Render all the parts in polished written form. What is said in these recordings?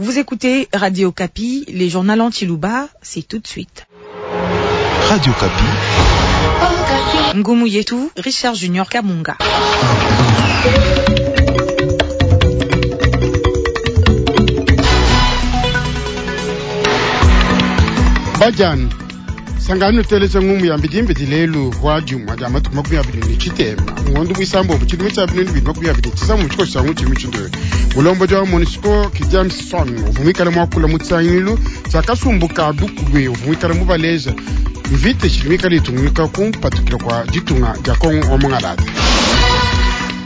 Vous écoutez Radio Okapi, les journaux en Tshiluba, c'est tout de suite. Radio Okapi. Ngumu Yetu, Richard Junior Kamunga. Bajani sangani nuteleja ngumu ya mbidimbidi lelu wa juma dia matuku 23 ngondo mwisambombo tshidimu tshia 2025 mu tshikoso tshia ngutshimi tshindoyo mulombodi wa monusco Kidiamson uvua muikale muakula mu tshisangilu tshia kasumbu ka bukube uvua muikale mubaleja mvita itshidi mikale itungunuka ku mpatukila kua ditunga dia Kongo wa mungalata.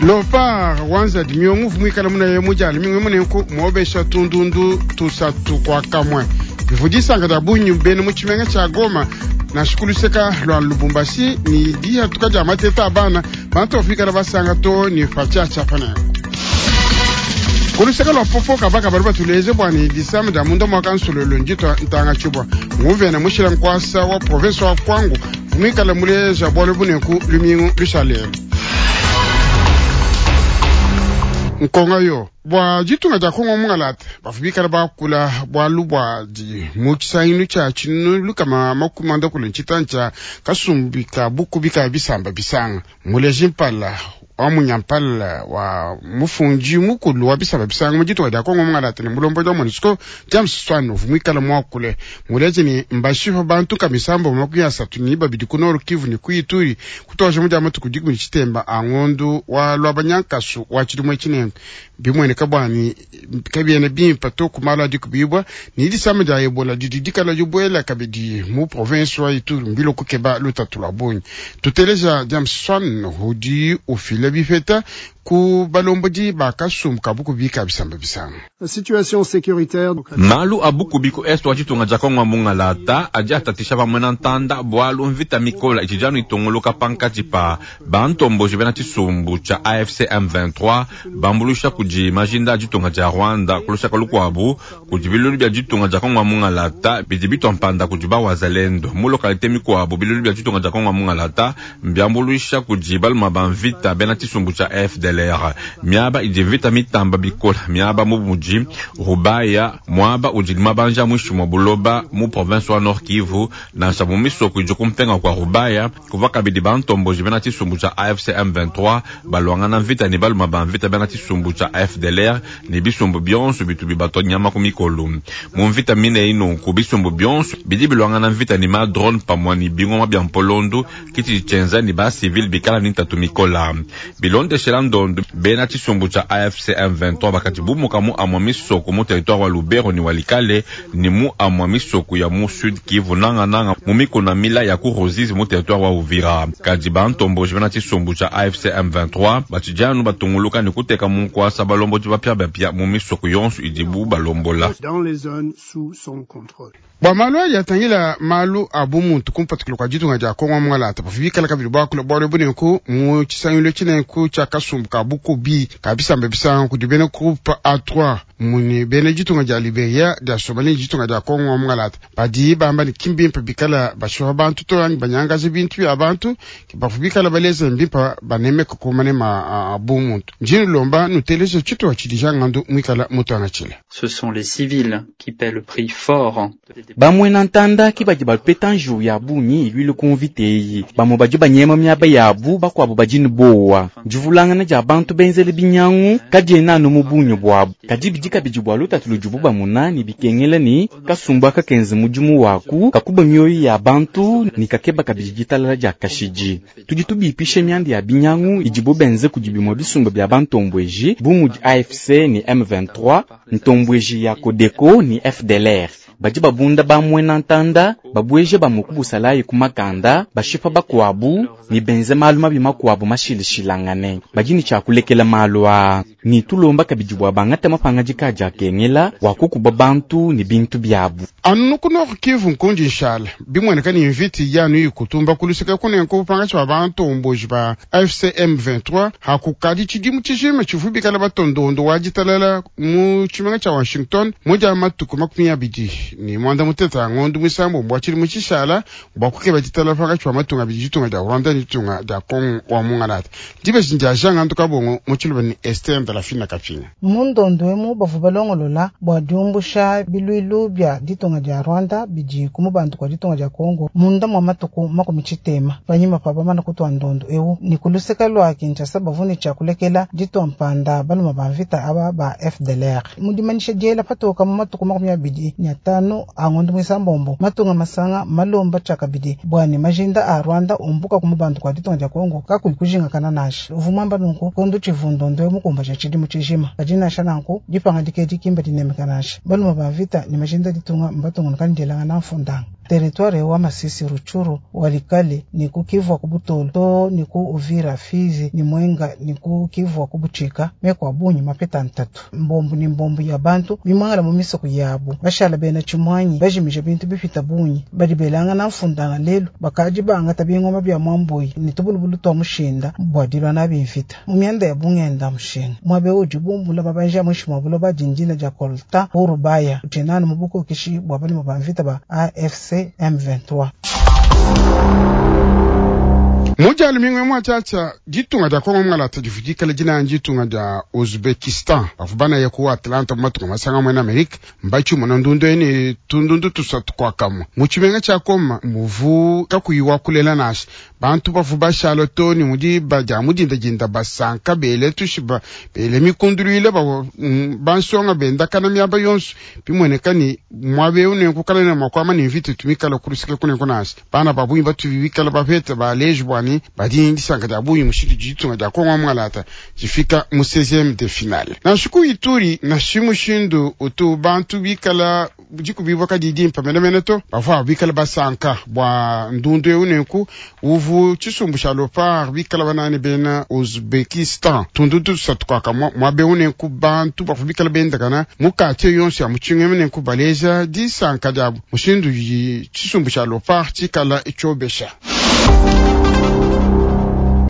Leopard wanza dimiongo uvua muikale munaya mu dia lumingu munenku muobesha tundundu tusatu kua kamue bivua disanka dia bungi bena mu tshimenga tshia Goma nansha ku luseka lua Lubumbashi ni dihatuka dia mateta a bana bantu bavua bikala basanga too ne patshiatshia pa nanku. Ku luseka lua Popo kabaka badi batuleje bua ne disama dia munda mua kansululu nditua ntanga tshibua nguvena mushila nkuasa wa province wa Kwango muikale muleja bualu buneku lumingu lushalelu. Nkonga yo bua ditunga dia Kongo mungalata bavua bikala bakula bualu bua di mu tshisangilu tshia tshinunu lukama makumi anda kule ntshitanu tshia kasumbi ka bukubi ka bisamba bisanga muleji mpala wa munyampala wa mufundi mukulu wa bisamba bisanga mu ditunga dia Kongo mungalata ne mulombodi wa MONUSCO James Swan uvua muikale muakule muleje ne mbashipa bantu ka misambo 32 ku Nord Kivu ne ku Ituri kutuaja mu dia matuku dikumi tshitemba a ngondu wa lwabanyankasu wa tshidimu etshi bimueneka bwani kabiena bimpa to ku malu adi kubibwa ni disama dia Ebola didi dikala dibuela kabidi mu province wa Ituri mbilo kukeba lutatu lwa bungi. Tuteleja James Swan udi ufila bipeta ku balombodi ba kasumbu ka bukubi ka bisamba bisanga. Situation sécuritaire. Malu a bukubi ku est wa ditunga dia Kongo mungalata adi atatisha pamue na ntanda bualu mvita mikola itshidi anu itongoloka pankatshi pa bantomboji bena tshisumbu tshia AFC M23 bambuluisha kudi majinda a ditunga dia Rwanda ku lusaka lukuabu kudi bilulu bia ditunga dia Kongo mungalata bidi bitua mpanda kudi bawazalendo mu lokalite mikuabu bilulu bia ditunga dia Kongo mungalata mbiambuluisha kudi baluma ba mvita bena tshisumbu tshia FDLR miaba idi mvita mitamba bikola miaba mu mudi Rubaya mwaba udi mabanja mwishi mwa buloba mu province wa Nord Kivu nansha mu misoko idi kumpenga kwa Rubaya kuva kabidi bantomboji bena tshisumbu tshia AFC M23 balwangana mvita ne baluma ba mvita bena tshisumbu tshia FDLR ne bisumbu bionso bitu bibatwa nyama ku mikolo mu mvita mine inonku bisumbu bionso bidi bilwangana mvita ne ma drone pamua ne bingoma bia mpolondu kiti tshienza ne ba civil bikala ne ntatu mikola bilondeshela ndondo bena tshisumbu tshia AFC M23 bakati bumuka mu amua misoko mu territoire wa Lubero ni Walikale ni mu amua misoko ya mu Sud Kivu nanga nanga mu mikuna mila ya ku Ruzizi mu territoire wa Uvira kadi bantomboji bena tshisumbu tshia AFC M23 batshijanu batunguluka ne kuteka mu nkuasa balombodi bapia bapia mu misoko yonso idibu balombola. Dans les zones sous son contrôle. Bua malu adi atangila malu a bumuntu kumpatukila kua ditunga dia Kongo mungalata bavua bikala kabidi buakula bualu bunenku mu tshisangilu tshinenku tshia kasumbu ka bukubi ka bisamba bisanga kudi bena groupe A3 muni bena ditunga dia Liberia dia Somalie ne ditunga dia Kongo mungalata badi bamba ne kimbimpe bikala bashipa bantu to anyi banyangaja bintu bia bantu bavua bikala baleza mbimpa banemeka ku manema a bumuntu. Ndi nulomba nuteleje tshituha tshidi jangandu muikala mutuangatshile. Ce sont les civils qui paient le prix fort. Bamwena ntanda ki badi bapeta njiwu ya bungi ilwile ku mvita eyi. Bamwe badi banyema miaba yabu, bakuabu badi ne bowa. Divulangana dia bantu benzele binyangu kadiena anu mu bungi buabu. Kadi bidi kabidi bua lutatu ludibu bamona ne bikengela ne kasumbu aka kenze mudimu waku kakuba mioyo ya bantu ne kakeba kabidi ditalala dia kashidi. Tudi tubipisha mianda ya binyangu idibu benze kudi bimue bisumbu bia bantombweji bu mudi AFC ne M23, ntombweji ya Codeco ne FDLR. Badi babunda bamwena ntanda babweje bamuku busalayi ku makanda bashipa bakuabu ne benze malu mabi makuabu mashilishilangane. Badi ne tshiakulekela malu aa ne tulomba kabidi bua bangate mapangadika adi akengela bua kukuba bantu ne bintu biabu. Anu ku Nord Kivu nkundi nshala bimueneka ne mviti yanu ikutumba kuluseka kunenku pangatshi ba bantomboji ba AFC M23 hakukadi tshidimu tshijima tshivu bikala batondondo wa ditalala mu tshimenga tshia Washington mu dia matuku 20. ne muanda mutekete a ngondu muisambombo wa tshidimu tshishala bua kukeba ditalala pankatshi pa matunga abidi, ditunga dia Rwanda ne ditunga dia Kongo wa mungalata. Dibeji dia Jean Ngandu Kabongo mu tshiluba ne Esther Ndalafina Kapinga. Mu ndondo emu bavua balongolola bua diumbusha biluilu bia ditunga dia Rwanda bidi ku mubandu kua ditunga dia Kongo munda mua matuku 60 panyima pa bamana kutua ndondo eu ne kuluseka lua Kinshasa bavua ne tshia kulekela ditua mpanda baluma ba mvita aba ba FDLR. Mu dimanyisha diela patoka mu matuku 25 a ngondo muisambombo, matunga masanga malomba tshiakabidi bua ne majinda a Rwanda umbuka ku mubandu kua ditunga dia Kongo kakuyi kujingakana nansha. Uvua muamba nunku kondo tshivu ndondo eu mukumbaja tshidimu tshijima. Kadi nansha nanku dipangadika edi kimba dinemeka nansha. Baluma ba mvita ne majinda ditunga mbatungunuka ne dielangana mfundanga. Territoire wa Masisi, Rutshuru, Walikale ne ku Kivu ku Butolo to ne ku Uvira, Fizi ne Mwenga ne ku Kivu ku Butshika meko a bungi mapeta ntatu. Mbombu ne mbombu ya bantu bimwangala mu misoko yabu bashala bena tshimwanyi bajimija bintu bipita bungi badi belangana mfundanga lelu bakadi bangata bingoma bia mwambuyi ne tubulubulu twa mushinda bua dilua nabi mvita. Mu mianda ya bungenda mushinga mwabe udi bumbula mabanja mwishi mwa buloba dindina dia coltan ku Rubaya utshinanu mu bukokeshi bua balima ba mvita ba AFC M23. Mujali mingwe mwa tshatsa ditunga dia Kongo mungalata divudikala dina ditunga dia Uzbekistan bavua banaya ku Atlanta mu matunga masanga mwena Amerika mbatshimuna ndundu ene tundundu tusatu kwakamwa mu tshimenga tshia Koma muvu kakuyi wa kulela nasha bantu bavua bashala to ne mudi badia mudindadinda basanka bele tushiba bele mikunduluile bavua bansonga bendakana miaba yonso bimueneka ni muaba eu nenku kala ne makuama ne mvita tumikala kulusika kunenku nasha bana babungi batubi bikala bapeta baleji bwani badi disanka dia bungi mushindu ditunga dia Kongo mungalata difika mu 16e de finale. Nansha ku Ituri nashi mushindu utu bantu bikala dikubibwa kadi dimpa menemene to bavua bikala basanka bua ndundu eu nenku uvu tshisumbu tshia Leopard bikala banani bena Uzbekistan tundu tusatu kwaka muaba eu nenku bantu bavua bikala bendakana mu quartier yonso ya mutshinga nenku baleja disanka diabu mushindu tshisumbu tshia Leopard tshikala tshiobesha.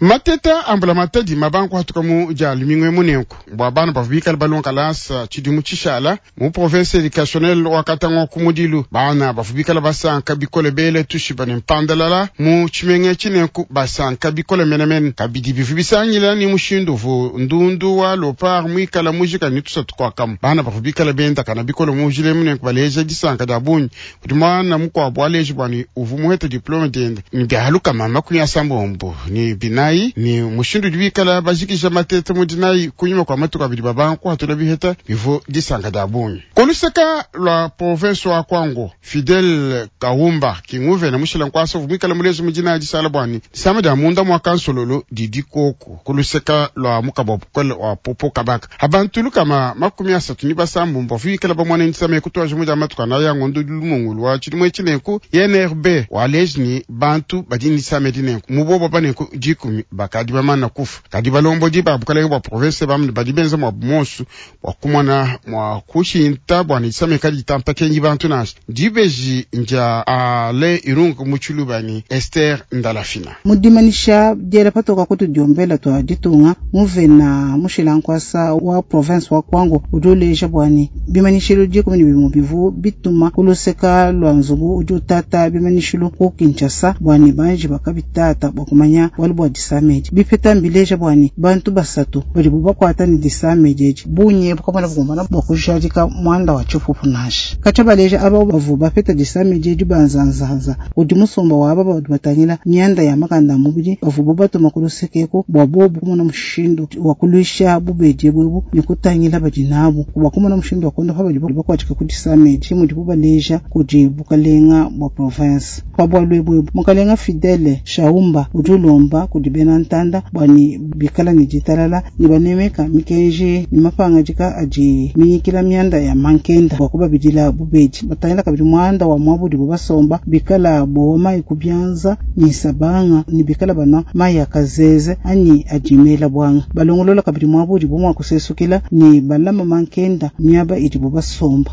Mateta ambula matadi mabanku hatuka mu dia lumingu munenku bua bana bavua bikala balonga kalasa tshidimu tshishala mu province educationnelle wa Katanga ku mudilu bana bavua bikala basanka bikole bele tushiba ne mpandalala mu tshimenga tshinenku basanka bikole menemene kabidi bivu bisangila ni mushindu vu ndundu wa Leopard muikala mujika ni tusatu kwakamu bana bavua bikala bendakana bikole mujile munenku baleja disanka dia bungi kudi mwana mukuabu aleji bwani uvu muheta diplome diende ni bialuka 80 ni binayi ni mushindu dibikala bajikisha matete mudinayi kunyuma kwa matuku abidi babanku hatula biheta bivu disanka dia bungi. Koluseka lwa province wa Kwango Fidel Kaumba kinguvena mushila nkwasa vumikala mulezo mudinayi disala bwani disama dia munda mwa kansololo didi koku koluseka lwa mukabo bukole wa popo kabaka abantu lukama 30 ni basambu mbavu bamwana ndisama ekutwaje mudia matuku anaya ngondo lumongulu wa tshidimu tshinenku INRB waleji ni bantu badi ndisama dinenku mubobo banenku 10 bakadi bamana kufa kadi balombodi ba bukalenge bua province bamne badi benza mwa bumonsu bua kumona mwa kushinta bua nisame kadi tampakenyi bantu nasha dibeji nja ale irungu muchuluba ni Esther Ndalafina. Mudimanisha diela patoka kutu diombela twa ditunga muvena mushilankwasa wa province wa Kwango udi uleja bwani bimanishilo 10 bimwe bivu bituma kuluseka lwa nzubu udi utata bimanishilo ku Kinshasa bwani banji bakabitata bua kumanya wali bua disamedi bipeta mbileja bwani bantu basatu badi bubakwata ni disamedi edi bunye bukamona bukumbana bua kujadika mwanda wa tshipupu nasha katsha baleja aba bavu bapeta disamedi edi banzanzanza udi musomba wa aba badi batangila myanda ya makanda mubidi bavu bubatuma kulusekeko bua bobu kumona mushindu wa kulwisha bubedi bwebu ni kutangila badi nabu bua kumona mushindu wa kondopa badi bakwatika ku disamedi mudi bubaleja kudi bukalenga bua province pa bua lwebwebu mukalenga Fidele Shaumba udi ulomba kudi bena ntanda bwani bikala ni ditalala ni banemeka mikenji ni mapangadika adi minyikila myanda ya mankenda bua kubabidila bubedi batangila kabidi mwanda wa mwabudi bubasomba bikala bowa mayi kubyanza ni sabanga ni bikala bana mayi akazeze anyi adimela bwanga balongolola kabidi mwabudi bumwa kusesukila ni balama mankenda miaba idi bubasomba.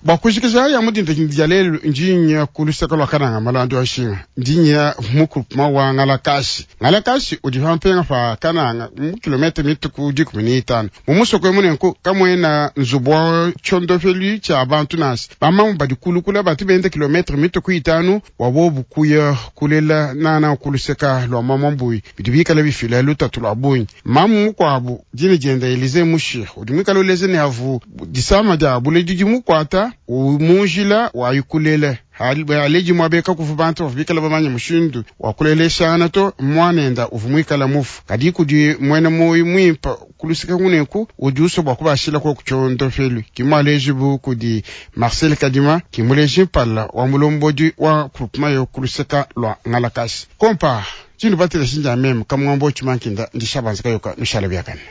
Bua kujikija ya mu dinda dia lelu, ndi nya ku luseke lua Kananga malandi wa nshinga, ndi nya mu groupement wa Ngalakashi. Ngalakashi udi pa mpenga pa Kananga mu kilomètre mituku 15. Mu musoko emu nenku kamuena nzubu wa tshondopelu tshia bantu nansha. Bamamu badi kulukula batu benda kilomètre mituku 5 bua bobu kuya kulela nana ku luseka lua Mamambuyi, bidi bikale bifila lutatu lua bungi. Mamu mukuabu dina dienda Elise Mushir udi muikale uleja ne avu disama dia buledi dimukuata mu njila wa yukulele. Aleji muabeka kuvu bantu bavua bikale bamanye mushindu wa kuleleshangana to, muanenda uvua muikale mufu. Kadi kudi muena moyo muimpe kuluseka kuneku udi usua bua kubashila ko kutshiondopelu. Ki mualeji bu kudi Marcel Kadima, ki muleji mpala wa mulombodi wa groupement yo kuluseka lua Ngalakashi. Kompa, tshinu batela shinja meme kamwambo chimankinda ndishabanza kayoka nushala biakane.